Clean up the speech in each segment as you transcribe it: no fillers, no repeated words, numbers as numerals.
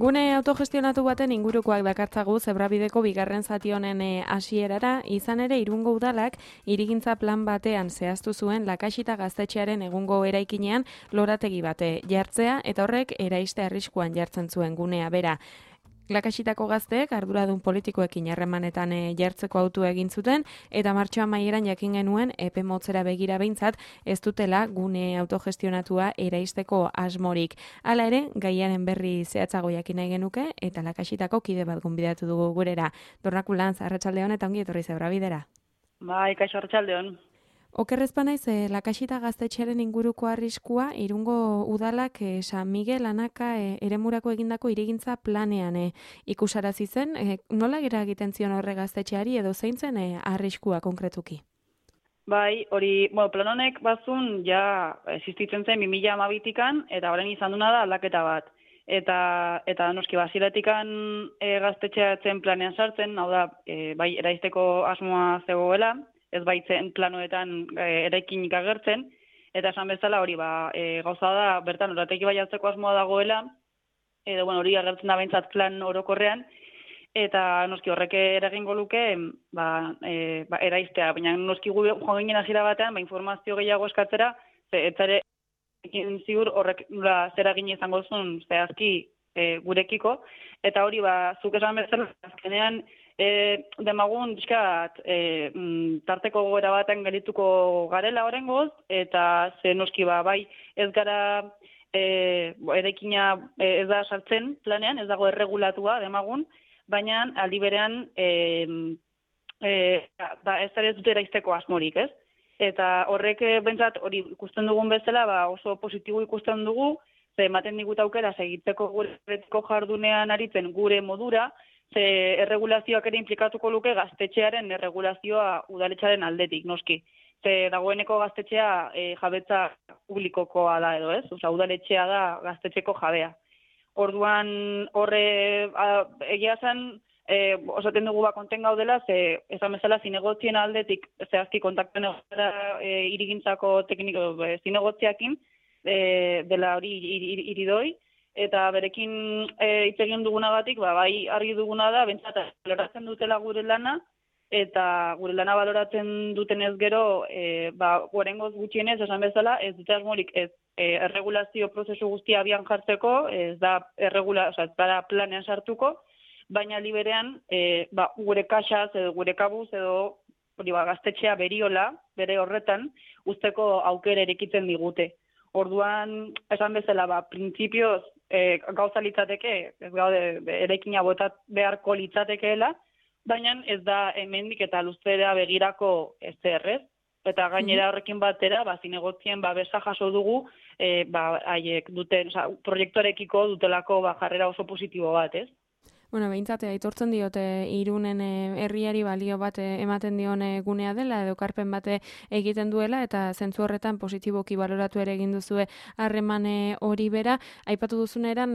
Gune autogestionatu baten ingurukoak dakartzagu Zebrabideko bigarren zati honen hasierara, izan ere Irungo udalak hirigintza plan batean zehaztu zuen Lakaxita gaztetxearen egungo eraikinean lorategi bate jartzea eta horrek eraiste arriskuan jartzen zuen gunea bera. Lakaxitako gazteek arduradun politikoekin harremanetan jartzeko autua egin zuten eta martxoa amaieran jakin genuen epe motzera begira behintzat ez dutela gune autogestionatua eraisteko asmorik. Hala ere, gaiaren berri zehatzago jakin nahi genuke eta Lakaxitako kide bat gonbidatu dugu gurera. Dornakulantz, arratsaldeon eta ongi etorri Zebrabidera. Bai, kaixo arratsaldeon. Okerrez banaiz, Lakaxita gaztetxearen inguruko arriskua Irungo udalak San Miguel Anaka eremurako egindako hirigintza planean ikusarazi zen. Nola eragiten zion horre gaztetxeari edo zein zen arriskua konkretuki? Bai, hori, plan honek bazun ja existitzen zen 2012tikan eta orain izan duna da aldaketa bat. Eta noski basiratikan gaztetxea zen planean sartzen, hau da, bai eraisteko asmoa zegoela, ez baitzen planoetan eraikinik agertzen, eta esan bezala hori gauza da, bertan lorategi bai hartzeko asmoa dagoela, edo hori agertzen da behintzat plan orokorrean, eta noski horrek eragingo luke eraistea, baina noski gu joan ginen hasiera batean, informazio gehiago eskatzera, etzare ekin ziur horrek zer egin izango zuen zehazki gurekiko, eta hori zuk esan bezala azkenean demagun diskat tarteko gogoera baten gelituko garela oraingoz, eta ze noski bai ez gara eraikina ez da sartzen planean, ez dago erregulatua demagun, baina aldi berean ez dute eraisteko asmorik, ez? Eta horrek bentsat hori ikusten dugun bezala oso positibo ikusten dugu, ze ematen digut aukera segitzeko gure jardunean aritzen gure modura, ze erregulazioak ere implikatuko luke gaztetxearen erregulazioa udaletxearen aldetik, noski. Ze dagoeneko gaztetxea jabetza publikokoa da edo, ez? Osea, udaletxea da gaztetxeko jabea. Orduan horre egia zen, osaten dugu konten gaudela, ze esan bezala zinegotzien aldetik zehazki kontakten egotera hirigintzako tekniko zinegotziakin, dela hori iridoi, eta berekin hitz egin dugunagatik, bai argi duguna da, bentsat baloratzen dutela gure lana, eta gure lana baloratzen dutenez gero, gorengoz gutxienez, esan bezala, ez dute asmorik ez erregulazio prozesu guztia abian jartzeko, ez da planean sartuko, baina liberean gure kaxaz edo gure kabuz edo gaztetxea beriola, bere horretan, usteko aukera erekitzen digute. Orduan, esan bezala, printzipioz gauza litzateke, ez gaude eraikina botat beharko litzatekeela, baina ez da hemendik eta luzera begirako ezerrez. Eta gainera horrekin batera, zinegotzien besa jaso dugu, haiek duten, proiektuarekiko dutelako jarrera oso positibo bat, ez? Bueno, behintzat, aitortzen diote Irunen herriari balio bat ematen dion gunea dela, edo karpen bate egiten duela, eta zentzu horretan positiboki baloratu ere egin duzue harreman hori bera. Aipatu duzun eran,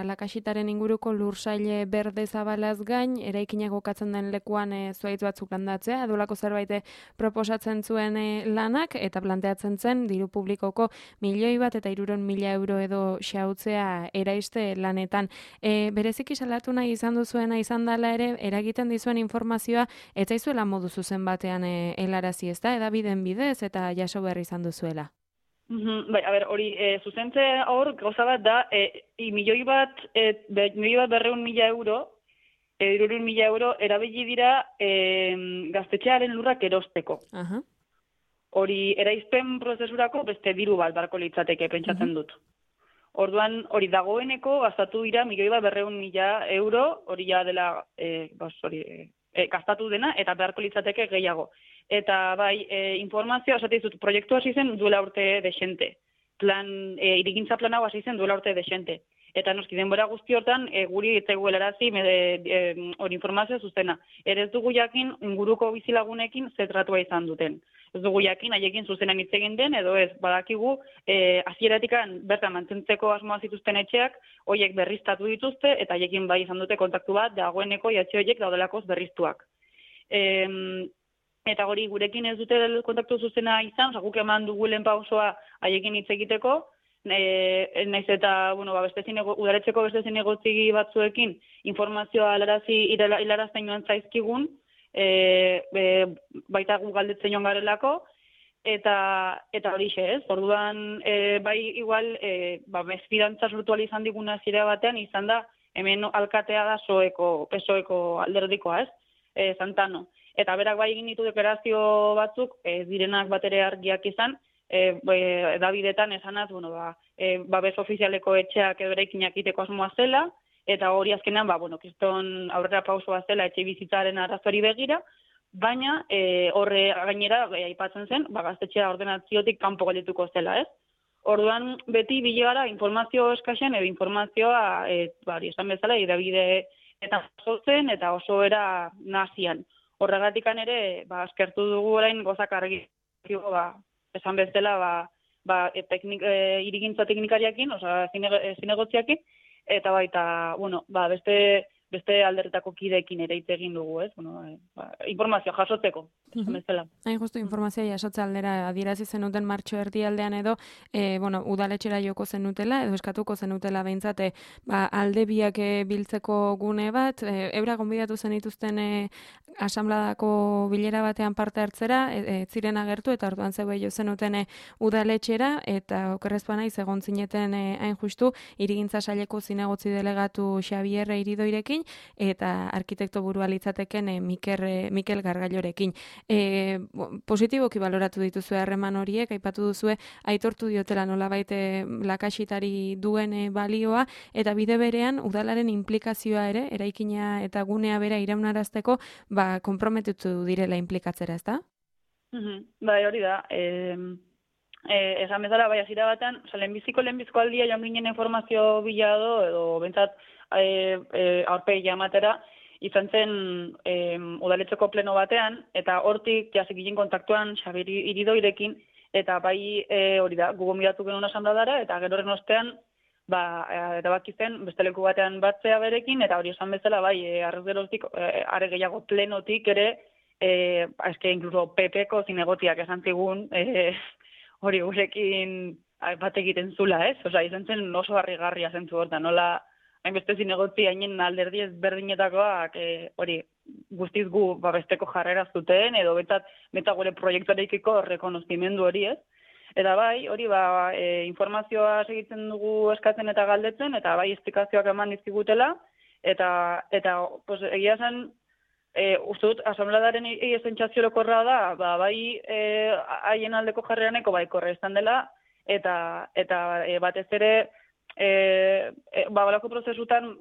Lakaxitaren inguruko lursaile berde zabalaz gain, eraikinak kokatzen den lekuan zuhaitz batzuk landatzea, edolako zerbait proposatzen zuen lanak, eta planteatzen zen, diru publikoko 1.000.000 eta 300.000 euro edo xautzea eraiste lanetan. Bereziki salatu nahi izan duzuena izan dela ere, eragiten dizuen informazioa, ez zaizuela modu zuzen batean helarazi, ez da, edabideen bidez eta jaso behar izan duzuela. Bai, hori, zuzentze hor, gauza bat da, 1.200.000 euro, 300.000 euro, erabili dira gaztetxearen lurrak erosteko. Hori, eraizpen prozesurako beste diru bat barko litzateke, pentsatzen dut. Orduan, hori dagoeneko gastatu dira 1.200.000 euro, hori ja dela gastatu dena, eta beharko litzateke gehiago. Eta bai, informazioa, esate dizut, proiektu hasi zen duela urte desente. Hirigintza plan hau hasi zen duela urte desente. Eta noski denbora guzti hortan, guri etzegu helarazi hori informazioa zuzena. Ere ez dugu jakin inguruko bizilagunekin zetratua izan duten. Ez dugu jakin haiekin zuzenan hitz egin den, edo ez badakigu hasieratikan bertan mantentzeko asmoa zituzten etxeak, horiek berriztatu dituzte, eta haiekin bai izan dute kontaktu bat, dagoeneko jatxe horiek daudelakoz berriztuak. Eta gurekin ez dute kontaktu zuzena izan, guk eman dugu lehen pausoa haiekin hitz egiteko, naiz eta, udaletxeko beste zinegotzi batzuekin informazioa hilarazten joan zaizkigun, baita gu galdetzen joan garelako, eta horixe ez. Orduan, bai igual, mesfidantza sortu izan diguna zira batean, izan da, hemen alkatea da PSOeko alderdikoa ez, Santano. Eta berak bai egin ditu deklarazio batzuk, direnak batere argiak izan, Davidetan esanaz, babes ofizialeko etxeak edo eraikinak iteko asmoa zela, eta hori azkenean, kriston aurrera pausua zela etxe bizitzaren arazoari begira, baina horre gainera aipatzen zen, gaztetxea ordenaziotik kanpo geldituko zela, ez? Orduan, beti bilegara informazio eskasen edo informazioa, esan bezala, Davide eta zotzen eta oso era nazian. Horregatikan ere, eskertu dugu orain gozak argi, esan bezala, irigintza teknikariakin, zinegotziakin, eta baita, beste alderretako kideekin ere hitz egin dugu, ez? Informazio jasotzeko, esan bezala. Hain justu informazioa jasotze aldera adierazi zenuten martxo erdialdean edo, udaletxera joko zenutela, edo eskatuko zenutela behintzat, alde biak biltzeko gune bat, eura gonbidatu zenituzten asanbladako bilera batean parte hartzera, ziren agertu, eta orduan zeue jo zenuten udaletxera, eta okerrezpa naiz egon zineten hain justu, irigintza saileko zinegotzi delegatu Xabier Iridoirekin, eta arkitekto burua litzateken Mikel Gargailorekin. Positiboki baloratu dituzue harreman horiek, aipatu duzue aitortu diotela nolabait lakaxitari duen balioa, eta bide berean udalaren implikazioa ere, eraikina eta gunea bera iraunarazteko, konprometitu direla implikatzera, ezta? Bai, hori da. Esan bezala, hasiera batean, lehenbiziko aldia joan ginen informazio bilado, edo bentsat aurpegi amatera, izan zen udaletxeko pleno batean, eta hortik jasik ginen kontaktuan Xabier Iridoirekin, eta bai hori da, gu gonbidatu genuen asanbladara, eta gero horren ostean, erabaki zen beste leku batean batzea berekin, eta hori esan bezala, bai, arrezgeroztik, are gehiago plenotik ere, inkluso PP-ko zinegotiak esan zigun, hori gurekin bat egiten zula, ez? Izan zen oso harrigarria zentzu hortan, nola hainbeste zinegotzi hainen alderdi ezberdinetakoak hori guztiz gu besteko jarrera zuten, edo beta gure proiektuarekiko rekonozimendu hori, ez? Eta bai, hori informazioa segitzen dugu eskatzen eta galdetzen, eta bai esplikazioak eman dizkigutela, eta egia zen, uste dut, asanbladaren sentsazio orokorra da, bai haien aldeko jarreraneko bai korrestan dela, eta batez ere, balako prozesutan,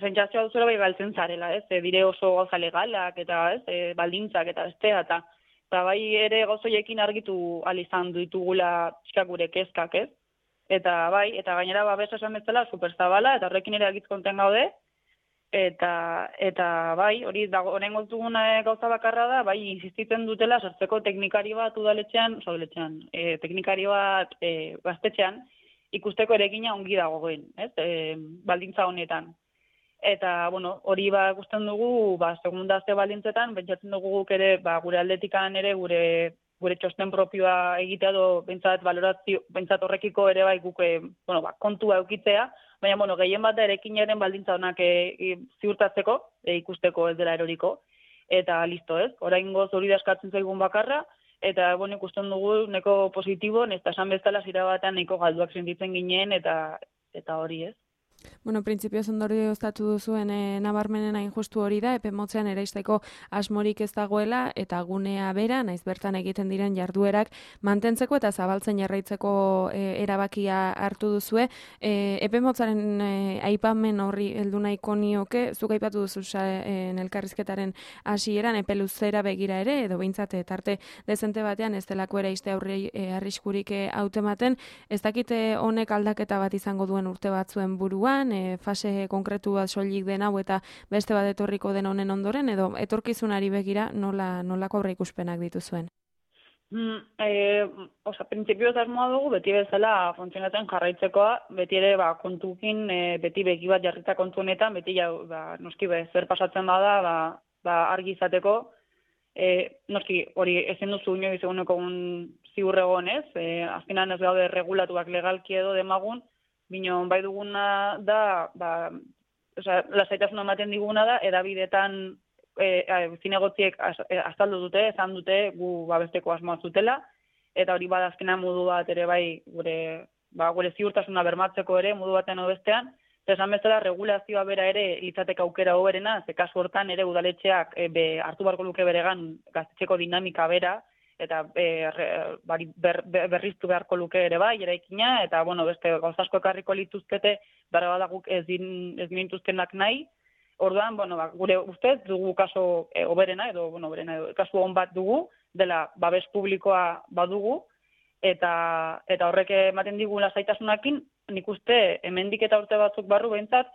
sentsazioa duzera bai galtzen zarela, ez? Dire oso gauza legalak, eta baldintzak, eta bestea, eta bai ere gauzoiekin argitu alizan ditugula gure kezkak, ez? Eta bai, eta gainera babesa esan bezala superzabala, eta horrekin ere agitz konten gaude, eta bai, hori oraingoz dugun gauza bakarra da, bai insistitzen dutela sartzeko teknikari bat udaletxean, teknikari bat gaztetxean, ikusteko erekina ongi dagoen, ez? Baldintza honetan. Eta, hori ikusten dugu, segunda ze baldintzetan, pentsatzen dugu guk ere, gure aldetikan ere, gure txosten propioa egitea edo, bentsat horrekiko ere bai guk, kontua eukitzea, baina, gehien bat da erekinaren baldintza honak ziurtatzeko, ikusteko ez dela eroriko, eta listo, ez? Oraingoz hori da eskatzen zaigun bakarra, eta, ikusten dugu neko positibo, eta esan bezala zira batean neko galduak sentitzen ginen, eta hori, ez? Printzipioz ondorio ostatu duzuen nabarmenen hain justu hori da, epe motzean eraisteko asmorik ez dagoela, eta gunea bera, naiz bertan egiten diren jarduerak mantentzeko eta zabaltzen jarraitzeko erabakia hartu duzue. Epe motzaren aipamen horri heldu nahiko nioke, zuk aipatu duzu elkarrizketaren hasieran epe luzera begira ere, edo behintzat tarte dezente batean ez delako eraiste aurri arriskurik hautematen, ez dakite honek aldaketa bat izango duen urte batzuen burua, fase konkretu bat soilik den hau eta beste bat etorriko den honen ondoren, edo etorkizunari begira nolako aurreikuspenak dituzuen? Printzipioz asmoa dugu, beti bezala funtzionatzen jarraitzekoa, beti ere kontukin, beti begi bat jarrita kontu honetan, beti noski zer pasatzen bada, argi izateko, noski hori ezin duzu inoiz eguneko ziur egonez, azkenan ez gaude regulatuak legalki edo demagun, bino bai duguna da, lasaitasuna ematen diguna da, edabidetan zinegotziek azaldu dute, esan dute gu babesteko asmoa zutela, eta hori bada azkenan modu bat ere bai gure ziurtasuna bermatzeko ere modu baten bestean, esan bezala regulazioa bera ere litzateke aukera hoberena, ze kasu hortan ere udaletxeak hartu beharko luke beregan gaztetxeko dinamika bera, eta berriztu beharko luke ere bai, eraikina, eta beste gauzasko ekarriko lituzkete, bara badaguk ez dinituzkenak nahi. Orduan, gure ustez dugu kaso oberena, edo kasu on bat dugu, dela babes publikoa badugu, eta horrek ematen digu lasaitasunakin, nik uste hemendik eta urte batzuk barru behintzat,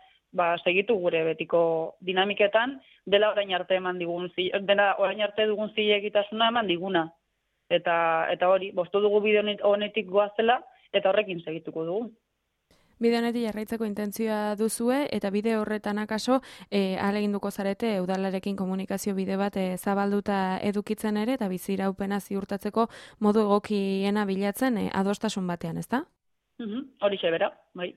segitu gure betiko dinamiketan, dela orain arte dugun zilegitasuna eman diguna. Eta hori, bostu dugu bide honetik goazela, eta horrekin segituko dugu. Bide honetik jarraitzeko intentzioa duzue, eta bide horretan akaso ahaleginduko zarete udalarekin komunikazio bide bat zabalduta edukitzen ere, eta biziraupena ziurtatzeko modu egokiena bilatzen adostasun batean, ezta? Horixe bera, bai.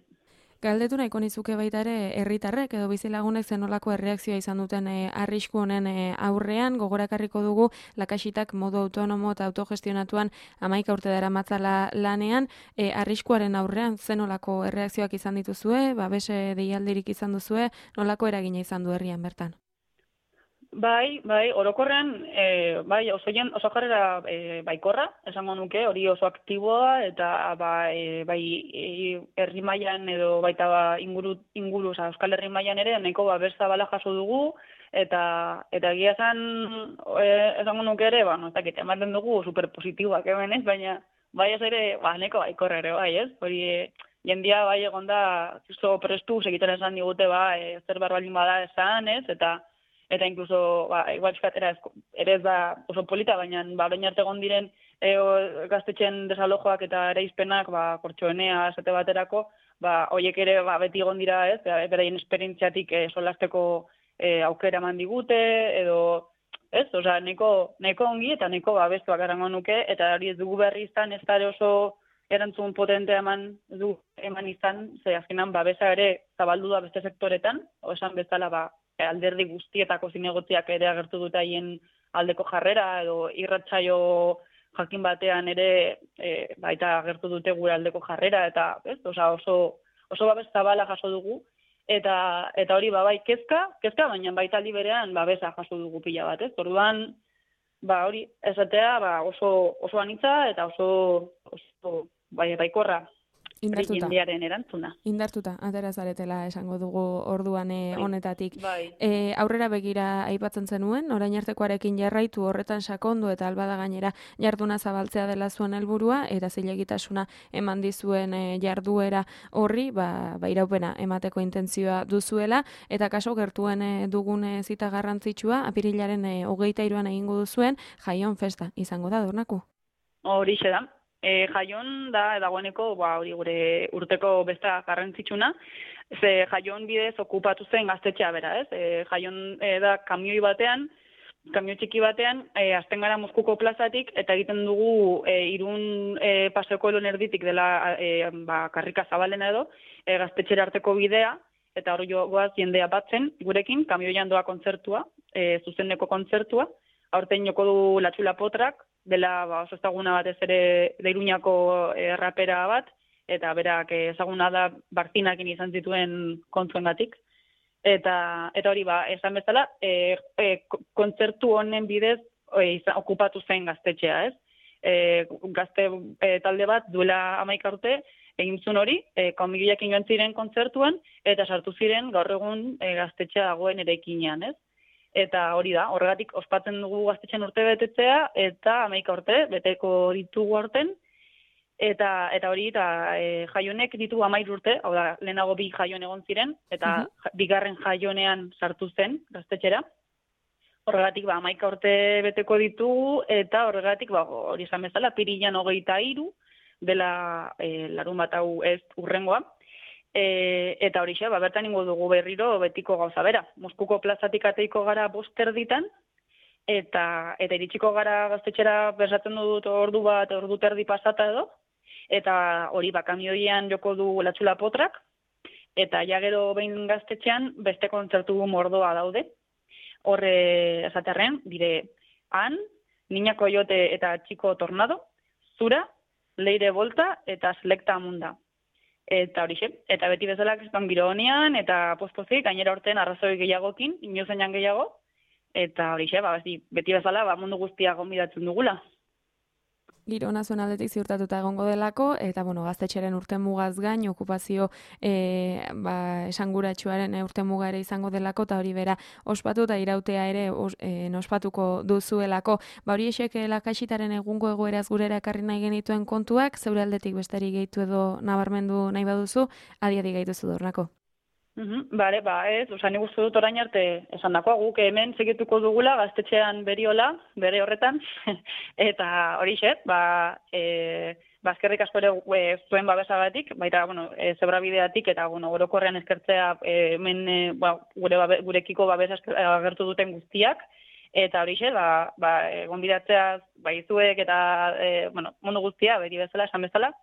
Galdetu nahiko nizuke baita ere herritarrek edo bizilagunek zenolako erreakzioa izan duten arrisku honen aurrean, gogorakarriko dugu Lakaxitak modu autonomo eta autogestionatuan 11 urte daramatzala lanean, arriskuaren aurrean zenolako erreakzioak izan dituzue, babese deialdirik izan duzue, nolako eragina izan du herrian bertan? Bai, orokorrean, oso jarrera baikorra, esango nuke, hori oso aktiboa, eta herri mailan edo baita inguru, Euskal Herri mailan ere, nahiko babesa bala jaso dugu, eta egia esango nuke ere, ematen dugu superpositiboak hemen ez, baina bai ez ere, nahiko baikorra ere, bai ez, hori jendia bai egonda, oso prestu, segiten esan digute, zer barbaldin bada esan ez, eta inkluso, igual ere ez da oso polita, baina bain arte egon diren gaztetxen desalojoak eta ereizpenak, kortxoenea, esate baterako, horiek ere beti egon dira, ez, beraien esperientziatik solasteko aukera eman digute, edo, ez, nahiko ongi eta nahiko babestuak erango nuke, eta hori ez dugu berri izan, ez da oso erantzun potentea eman izan, ze azkenan babesa ere zabaldu da beste sektoretan, esan bezala, alderdi guztietako zinegotziak ere agertu dute haien aldeko jarrera, edo irratsaio jakin batean ere baita agertu dute gure aldeko jarrera, eta oso babes zabala jaso dugu, eta hori bai kezka, baina baita aldi berean babesa jaso dugu pila bat, ez? Orduan, hori esatea oso anitza eta oso baikorra. Jendearen erantzuna. Indartuta, atera zaretela esango dugu orduan honetatik. Bai. Aurrera begira aipatzen zenuen, orain artekoarekin jarraitu horretan sakondu eta albada gainera jarduna zabaltzea dela zuen helburua eta zilegitasuna eman dizuen jarduera horri, iraupena emateko intentzioa duzuela, eta kaso gertuen dugun zita garrantzitsua, apirilaren 23an egingo duzuen Jaion festa izango da, Dornaku? Horixe da. Jaion da dagoeneko hori gure urteko besta garrantzitsuna, ze Jaion bidez okupatu zen gaztetxea bera, ez? Jaion da kamioi txiki batean, azten gara Moskuko plazatik, eta egiten dugu Irun paseoko elon erditik dela karrika zabalena edo, gaztetxera arteko bidea, eta hori goaz jendea batzen gurekin, kamioian doa kontzertua, zuzeneko kontzertua, aurten joko du Latxula Potrak, dela oso ezaguna batez ere Iruñako rapera bat, eta berak ezaguna da Bartinakin izan zituen kontzuengatik. Eta hori esan bezala, kontzertu honen bidez okupatu zen gaztetxea, ez? Gazte talde bat duela 11 urte egin zuen hori, komigioekin joan ziren kontzertuan, eta sartu ziren gaur egun gaztetxea dagoen eraikinean, ez? Eta hori da, horregatik ospatzen dugu gaztetxean urte betetzea, eta 11 urte beteko ditugu aurten, eta hori, Jaionek ditu 13 urte, hau da, lehenago 2 Jaion egon ziren, eta bigarren Jaionean sartu zen gaztetxera. Horregatik, 11 urte beteko ditugu, eta horregatik, hori esan bezala, apirilean 23 dela larun bat hau ez urrengoa. Eta horixe, bertan ingo dugu berriro betiko gauza bera. Moskuko plazatik ateiko gara 5 erditan, eta iritsiko gara gaztetxera bersatzen dut ordu bat, ordu terdi pasata edo, eta hori kamioian joko du Latxula Potrak, eta ja gero behin gaztetxean beste kontzertu mordoa daude. Horre esaterren, dire, Han, Niña Coyote eta Txiko Tornado, Zura, Leire Volta eta Selecta Munda. Eta horixe, eta beti bezala kriston giro honean, eta pospozik, gainera horten arrazoi gehiagokin, inozainan gehiago, eta horixe, beti bezala mundu guztia gonbidatzen dugula. Giro ona zuen aldetik ziurtatuta egongo delako, eta gaztetxeren urte mugaz gain, okupazio esanguratsuaren urte muga ere izango delako, eta hori bera ospatu eta irautea ere ospatuko duzuelako. Hori esek Lakaxitaren egungo egoeraz gurera ekarri nahi genituen kontuak, zeure aldetik besterik gehitu edo nabarmendu nahi baduzu, adi gaituzu Dornako. Bale, ez, nik uste dut orain arte esan dakoa, guk hemen segituko dugula gaztetxean beriola, bere horretan, eta hori xet, eskerrik asko ere zuen babesagatik, baita, zebrabideatik, eta, orokorrean eskertzea hemen gurekiko babes agertu duten guztiak, eta hori xet, gonbidatzea izuek eta, mundu guztia, beti bezala, esan bezala,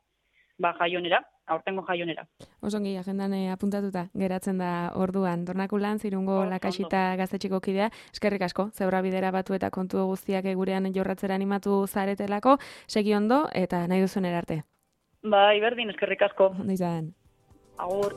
jaionera. Aurtengo jaionera. Osongi, agendan apuntatuta geratzen da orduan. Dornako Lantz, Irungo Lakaxita gaztetxeko kidea, eskerrik asko, zeura bidera batu eta kontu guztiak gurean jorratzera animatu zaretelako, segi ondo eta nahi duzuen erarte. Berdin, eskerrik asko. Ondo izan. Agur.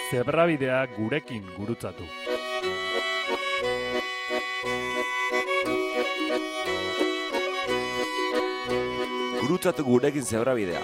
Zebrabidea gurekin gurutzatu. Gurutzatu gurekin Zebrabidea.